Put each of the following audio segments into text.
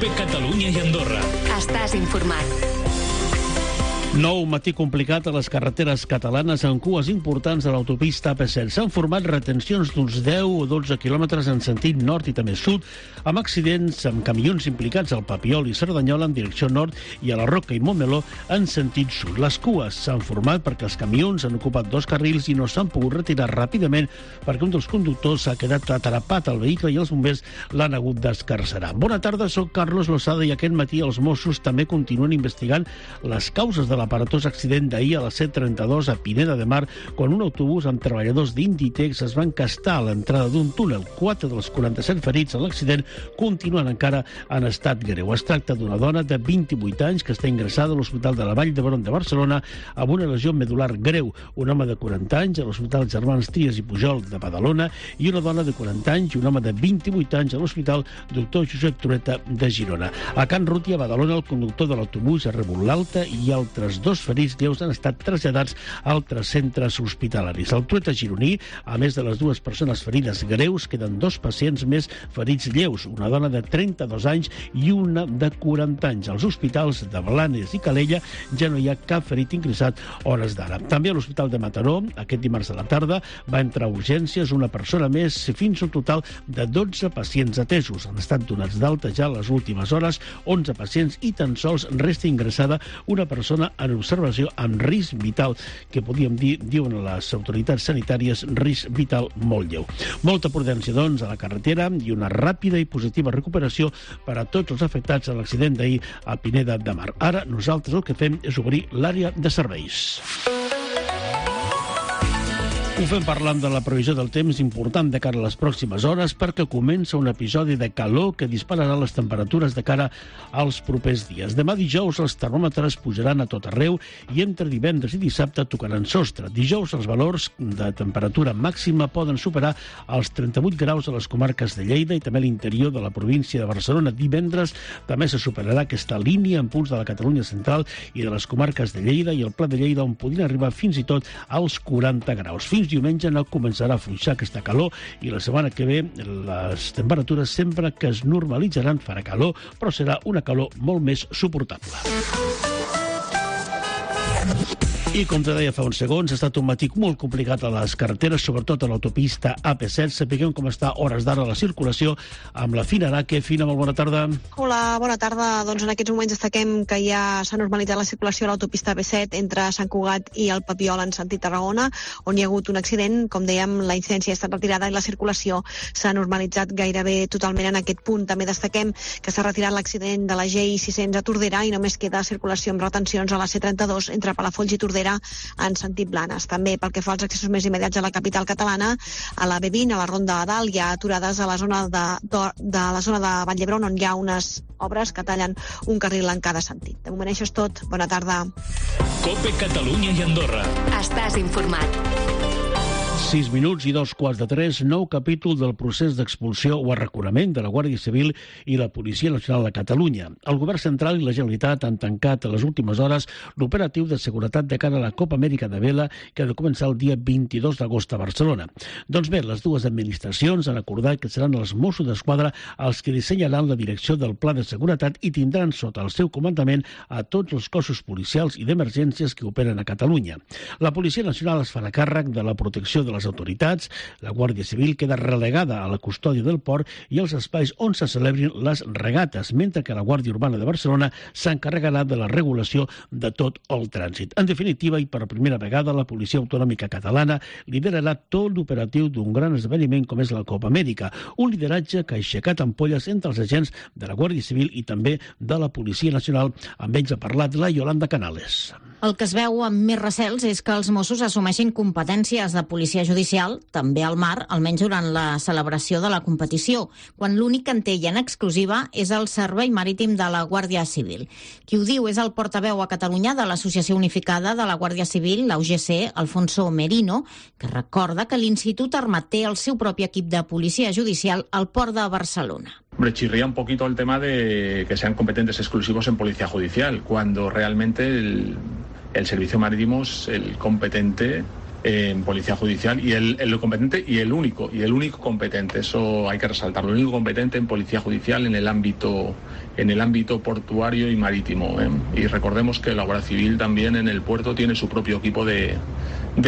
COPE Catalunya i Andorra. Estàs informat. Nou matí complicat a les carreteres catalanes amb cues importants a l'autopista AP7. S'han format retencions d'uns 10 o 12 quilòmetres en sentit nord i també sud, amb accidents amb camions implicats al Papiol i Cerdanyola en direcció nord i a la Roca i Montmeló en sentit sud. Les cues s'han format perquè els camions han ocupat 2 carrils i no s'han pogut retirar ràpidament perquè un dels conductors s'ha quedat atrapat al vehicle i els bombers l'han hagut d'escarcerar. Bona tarda, soc Carlos Lozada i aquest matí els Mossos també continuen investigant les causes de l'aparatós accident d'ahir a la C32 a Pineda de Mar, quan un autobús amb treballadors d'Inditex es va encastar a l'entrada d'un túnel. 4 dels 47 ferits en l'accident continuen encara en estat greu. Es tracta d'una dona de 28 anys que està ingressada a l'Hospital de la Vall d'Hebron de Barcelona amb una lesió medular greu, un home de 40 anys a l'Hospital Germans Trias i Pujol de Badalona i una dona de 40 anys i un home de 28 anys a l'Hospital Doctor Josep Trueta de Girona. A Can Ruti, a Badalona, el conductor de l'autobús ha rebut l'alta i altres 2 ferits lleus han estat traslladats a altres centres hospitalaris. Al Trueta gironí, a més de les 2 persones ferides greus, queden 2 pacients més ferits lleus, una dona de 32 anys i una de 40 anys. Als hospitals de Blanes i Calella ja no hi ha cap ferit ingressat hores d'ara. També a l'Hospital de Mataró, aquest dimarts a la tarda, va entrar a urgències una persona més, fins a un total de 12 pacients atesos. Han estat donats d'alta ja les últimes hores 11 pacients i tan sols resta ingressada una persona en observació amb risc vital, que podíem dir, diuen les autoritats sanitàries, risc vital molt lleu. Molta prudència, doncs, a la carretera i una ràpida i positiva recuperació per a tots els afectats a l'accident d'ahir a Pineda de Mar. Ara nosaltres el que fem és obrir l'àrea de serveis. Ho fem parlant de la previsió del temps important de cara a les pròximes hores perquè comença un episodi de calor que dispararà les temperatures de cara als propers dies. Demà dijous els termòmetres pujaran a tot arreu i entre divendres i dissabte tocaran sostre. Dijous els valors de temperatura màxima poden superar els 38 graus a les comarques de Lleida i també a l'interior de la província de Barcelona. Divendres també se superarà aquesta línia en punts de la Catalunya central i de les comarques de Lleida i el Pla de Lleida, on podrien arribar fins i tot als 40 graus. Fins diumenge no començarà a afluixar aquesta calor i la setmana que ve les temperatures sembla que es normalitzaran, farà calor, però serà una calor molt més suportable. I com te deia fa uns segons, ha estat un matí molt complicat a les carreteres, sobretot a l'autopista AP7. Sapiguem com està a hores d'ara la circulació amb la Fina Araque. Fina, molt bona tarda. Hola, bona tarda. Doncs en aquests moments destaquem que ja s'ha normalitzat la circulació a l'autopista AP7 entre Sant Cugat i el Papiol en sentit Tarragona, on hi ha hagut un accident. Com dèiem, la incidència ha estat retirada i la circulació s'ha normalitzat gairebé totalment en aquest punt. També destaquem que s'ha retirat l'accident de la GI600 a Tordera i només queda circulació amb retencions a la C32 entre Palafolls i Tordera en sentit Blanes. També pel que fa als accessos més immediats a la capital catalana, a la B20, a la Ronda de Dalt, hi ha aturades a la zona de la zona de Vall d'Hebron, on hi ha unes obres que tallen un carril en cada sentit. De moment això és tot. Bona tarda. COPE Catalunya i Andorra. Estàs informat. 6 minuts i 2:15, nou capítol del procés d'expulsió o arraconament de la Guàrdia Civil i la Policia Nacional de Catalunya. El Govern Central i la Generalitat han tancat a les últimes hores l'operatiu de seguretat de cara a la Copa Amèrica de Vela, que ha de començar el dia 22 d'agost a Barcelona. Doncs bé, les dues administracions han acordat que seran els Mossos d'Esquadra els que dissenyaran la direcció del pla de seguretat i tindran sota el seu comandament a tots els cossos policials i d'emergències que operen a Catalunya. La Policia Nacional es farà càrrec de la protecció de les autoritats, la Guàrdia Civil queda relegada a la custòdia del port i els espais on se celebrin les regates, mentre que la Guàrdia Urbana de Barcelona s'encarregarà de la regulació de tot el trànsit. En definitiva, i per primera vegada, la Policia Autonòmica Catalana liderarà tot l'operatiu d'un gran esdeveniment com és la Copa Amèrica, un lideratge que ha aixecat ampolles entre els agents de la Guàrdia Civil i també de la Policia Nacional. Amb ells ha parlat la Yolanda Canales. El que es veu amb més recels és que els Mossos assumeixin competències de policia judicial, també al mar, almenys durant la celebració de la competició, quan l'únic que en té en exclusiva és el Servei Marítim de la Guàrdia Civil. Qui ho diu és el portaveu a Catalunya de l'Associació Unificada de la Guàrdia Civil, la UGC, Alfonso Merino, que recorda que l'Institut Armat té el seu propi equip de policia judicial al port de Barcelona. Hombre, chirría un poquito el tema de que sean competentes exclusivos en policía judicial, cuando realmente el servicio marítimo es el competente en Policía Judicial y el competente y el único competente, eso hay que resaltarlo, el único competente en Policía Judicial en el ámbito portuario y marítimo. Y recordemos que la Guardia Civil también en el puerto tiene su propio equipo de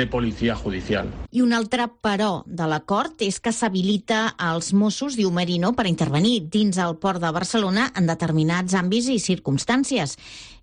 Policía Judicial. I un altre però de l'acord és que s'habilita als Mossos, diu Merino, per intervenir dins el port de Barcelona en determinats àmbits i circumstàncies.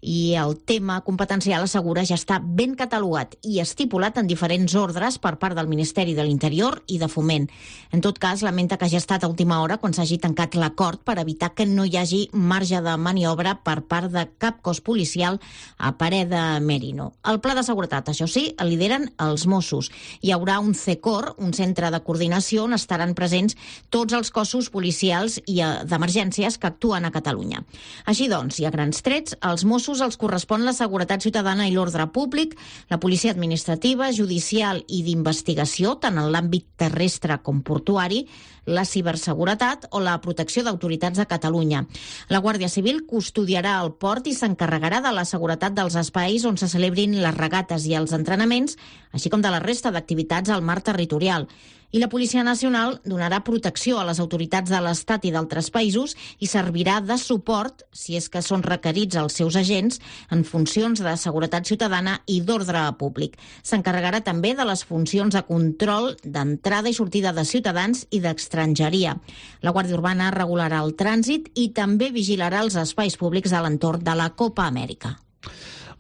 I el tema competencial, assegura, ja està ben catalogat i estipulat en diferents ordres per part del Ministeri de l'Interior i de Foment. En tot cas, lamenta que hagi estat a última hora quan s'hagi tancat l'acord per evitar que no hi hagi marge de maniobra per part de cap cos policial, a parer de Merino. El pla de seguretat, això sí, el lideren els Mossos. Hi haurà un CECOR, un centre de coordinació on estaran presents tots els cossos policials i d'emergències que actuen a Catalunya. Així doncs, i a grans trets, als Mossos els correspon la seguretat ciutadana i l'ordre públic, la policia administrativa, judicial i d'investigació, tant en l'àmbit terrestre com portuari, la ciberseguretat o la protecció d'autoritats de Catalunya. La Guàrdia Civil custodiarà el port i s'encarregarà de la seguretat dels espais on se celebrin les regates i els entrenaments, així com de la resta d'activitats al mar territorial. I la Policia Nacional donarà protecció a les autoritats de l'Estat i d'altres països i servirà de suport, si és que són requerits els seus agents, en funcions de seguretat ciutadana i d'ordre públic. S'encarregarà també de les funcions de control d'entrada i sortida de ciutadans i d'estrangeria. La Guàrdia Urbana regularà el trànsit i també vigilarà els espais públics a l'entorn de la Copa Amèrica.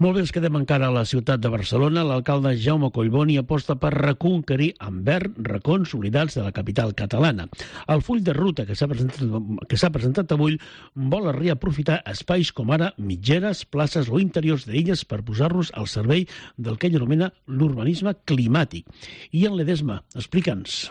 Molt bé, ens quedem encara a la ciutat de Barcelona. L'alcalde Jaume Collboni aposta per reconquerir en verd racons oblidats de la capital catalana. El full de ruta que s'ha presentat avui vol reaprofitar espais com ara mitgeres, places o interiors d'illes per posar-los al servei del que ell anomena l'urbanisme climàtic. I en Ledesma, explica'ns.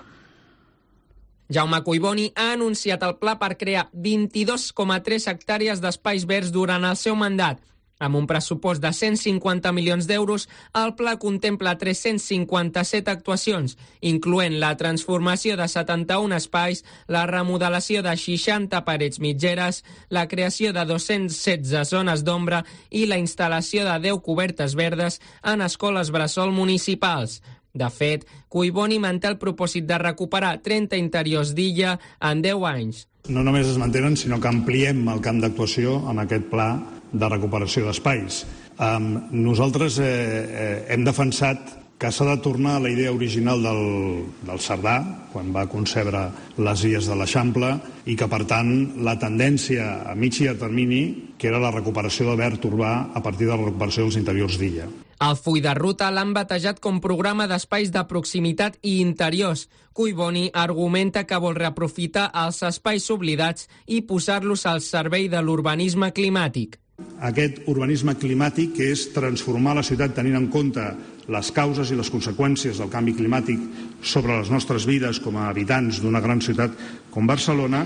Jaume Collboni ha anunciat el pla per crear 22,3 hectàrees d'espais verds durant el seu mandat. Amb un pressupost de 150 milions d'euros, el pla contempla 357 actuacions, incloent la transformació de 71 espais, la remodelació de 60 parets mitgeres, la creació de 216 zones d'ombra i la instal·lació de 10 cobertes verdes en escoles bressol municipals. De fet, Collboni manté el propòsit de recuperar 30 interiors d'illa en 10 anys. No només es mantenen, sinó que ampliem el camp d'actuació amb aquest pla de recuperació d'espais. Nosaltres hem defensat que s'ha de tornar a la idea original del Cerdà, quan va concebre les illes de l'Eixample, i que, per tant, la tendència a mig i a termini, que era la recuperació de verd urbà a partir de la recuperació dels interiors d'illa. El full de ruta l'han batejat com programa d'espais de proximitat i interiors. Collboni argumenta que vol reaprofitar els espais oblidats i posar-los al servei de l'urbanisme climàtic. Aquest urbanisme climàtic, que és transformar la ciutat tenint en compte les causes i les conseqüències del canvi climàtic sobre les nostres vides com a habitants d'una gran ciutat com Barcelona,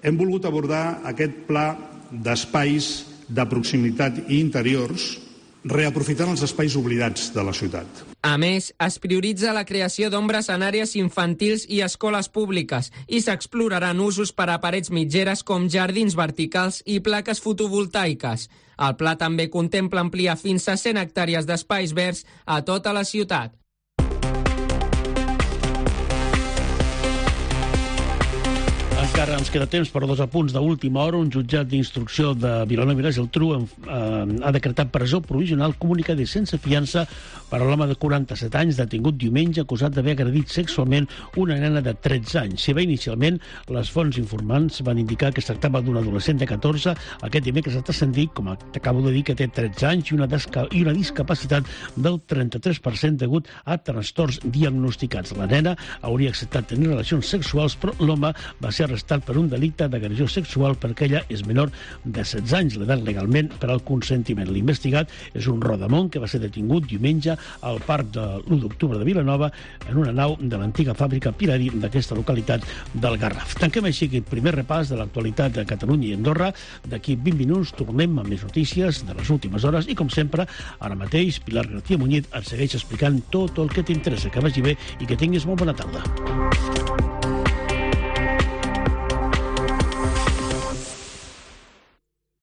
hem volgut abordar aquest pla d'espais de proximitat i interiors reaprofitant els espais oblidats de la ciutat. A més, es prioritza la creació d'ombres en àrees infantils i escoles públiques i s'exploraran usos per a parets mitgeres com jardins verticals i plaques fotovoltaiques. El pla també contempla ampliar fins a 100 hectàrees d'espais verds a tota la ciutat. Encara ens queda temps per 2 apunts d'última hora. Un jutjat d'instrucció de Vilanova i la Geltrú ha decretat presó provisional comunicada sense fiança per a l'home de 47 anys detingut diumenge acusat d'haver agredit sexualment una nena de 13 anys. Si bé inicialment les fonts informants van indicar que es tractava d'un adolescent de 14, aquest dimecres ha transcendit, com t'acabo de dir, que té 13 anys i una discapacitat del 33% degut a trastorns diagnosticats. La nena hauria acceptat tenir relacions sexuals, però l'home va ser arrestat per un delicte d'agressió sexual perquè ella és menor de 16 anys, l'edat legalment per al consentiment. L'investigat és un rodamont que va ser detingut diumenge al parc de l'1 d'octubre de Vilanova en una nau de l'antiga fàbrica Pirari d'aquesta localitat del Garraf. Tanquem així aquest primer repàs de l'actualitat de Catalunya i Andorra. D'aquí 20 minuts tornem amb més notícies de les últimes hores i, com sempre, ara mateix Pilar García Muñiz et segueix explicant tot el que t'interessa. Que vagi bé i que tinguis molt bona tarda.